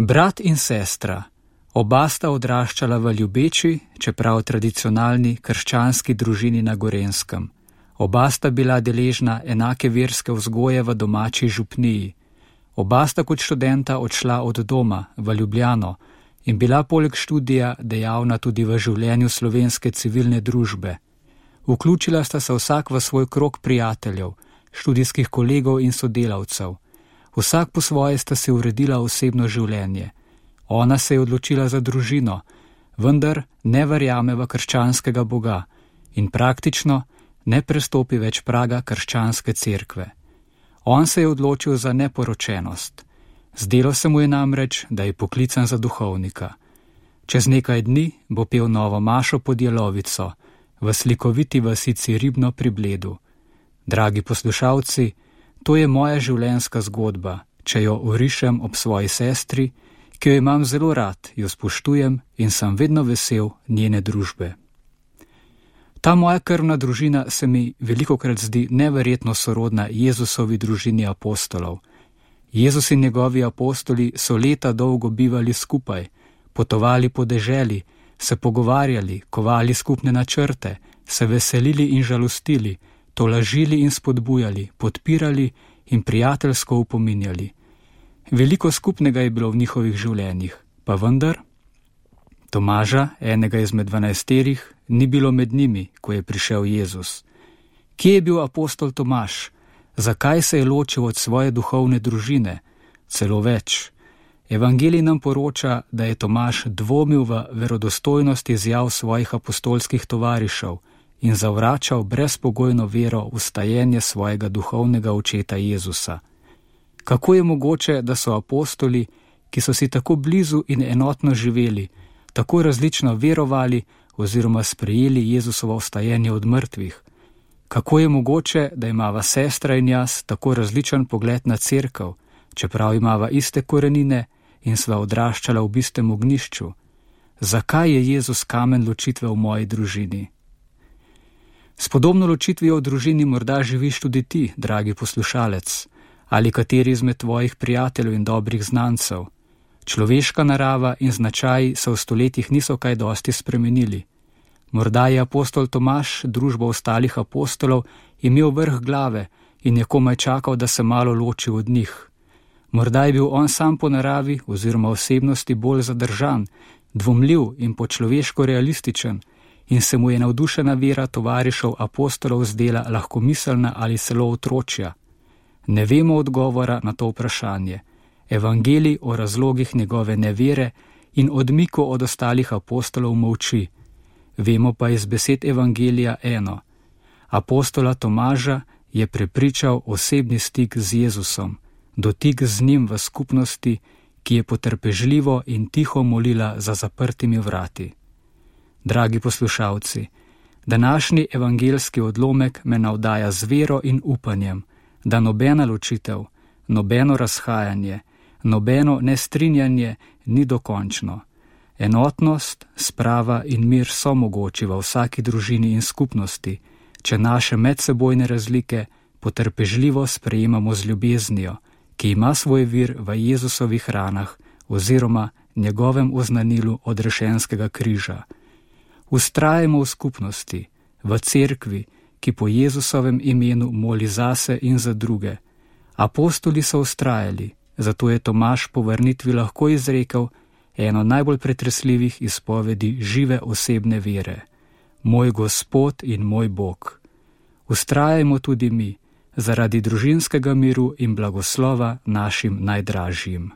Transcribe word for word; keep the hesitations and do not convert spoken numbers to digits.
Brat in sestra, oba sta odraščala v ljubeči, čeprav tradicionalni krščanski družini na Gorenjskem. Oba sta bila deležna enake verske vzgoje v domači župniji. Oba sta kot študenta odšla od doma v Ljubljano in bila poleg študija dejavna tudi v življenju slovenske civilne družbe. Vključila sta se vsak v svoj krog prijateljev, študijskih kolegov in sodelavcev. Vsak po svoje sta si uredila osebno življenje. Ona se je odločila za družino, vendar ne verjame v krščanskega Boga in praktično ne prestopi več praga krščanske cerkve. On se je odločil za neporočenost. Zdelo se mu je namreč, da je poklican za duhovnika. Čez nekaj dni bo pel novo mašo pod Jelovico, v slikoviti vasici Ribno pri Bledu. Dragi poslušalci, to je moja življenjska zgodba, če jo orišem ob svoji sestri, ki jo imam zelo rad, jo spoštujem in sem vedno vesel njene družbe. Ta moja krvna družina se mi velikokrat zdi neverjetno sorodna Jezusovi družini apostolov. Jezus in njegovi apostoli so leta dolgo bivali skupaj, potovali po deželi, se pogovarjali, kovali skupne načrte, se veselili in žalostili, tolažili in spodbujali, podpirali in prijateljsko upominjali. Veliko skupnega je bilo v njihovih življenjih, pa vendar Tomaža, enega izmed dvanajsterih, ni bilo med njimi, ko je prišel Jezus. Kje je bil apostol Tomaž? Zakaj se je ločil od svoje duhovne družine? Celo več. Evangelij nam poroča, da je Tomaž dvomil v verodostojnost izjav svojih apostolskih tovarišev in zavračal brezpogojno vero v stajenje svojega duhovnega očeta Jezusa. Kako je mogoče, da so apostoli, ki so si tako blizu in enotno živeli, tako različno verovali oziroma sprejeli Jezusovo vstajenje od mrtvih? Kako je mogoče, da imava sestra in jaz tako različen pogled na cerkev, čeprav imava iste korenine in sva odraščala v istem ognjišču? Zakaj je Jezus kamen ločitve v moji družini? S podobno ločitvijo v družini morda živiš tudi ti, dragi poslušalec, ali kateri izmed tvojih prijateljev in dobrih znancev. Človeška narava in značaji se v stoletjih niso kaj dosti spremenili. Morda je apostol Tomaž družbo ostalih apostolov imel vrh glave in je komaj čakal, da se malo loči od njih. Morda je bil on sam po naravi oziroma osebnosti bolj zadržan, dvomljiv in po človeško realističen in se mu je navdušena vera tovarišev apostolov zdela lahkomiselna ali celo otročja. Ne vemo odgovora na to vprašanje. Evangelij o razlogih njegove nevere in odmiku od ostalih apostolov molči. Vemo pa iz besed Evangelija eno. Apostola Tomaža je prepričal osebni stik z Jezusom, dotik z njim v skupnosti, ki je potrpežljivo in tiho molila za zaprtimi vrati. Dragi poslušalci, današnji evangeljski odlomek me navdaja z vero in upanjem, da nobena ločitev, nobeno razhajanje, nobeno nestrinjanje ni dokončno. Enotnost, sprava in mir so mogoči v vsaki družini in skupnosti, če naše medsebojne razlike potrpežljivo sprejemamo z ljubeznijo, ki ima svoj vir v Jezusovih ranah oziroma njegovem oznanilu odrešenskega križa. Vztrajamo v skupnosti, v cerkvi, ki po Jezusovem imenu moli zase in za druge. Apostoli so vztrajali, zato je Tomaž po vrnitvi lahko izrekel eno najbolj pretresljivih izpovedi žive osebne vere. Moj Gospod in moj Bog. Vztrajajmo tudi mi, zaradi družinskega miru in blagoslova našim najdražjim.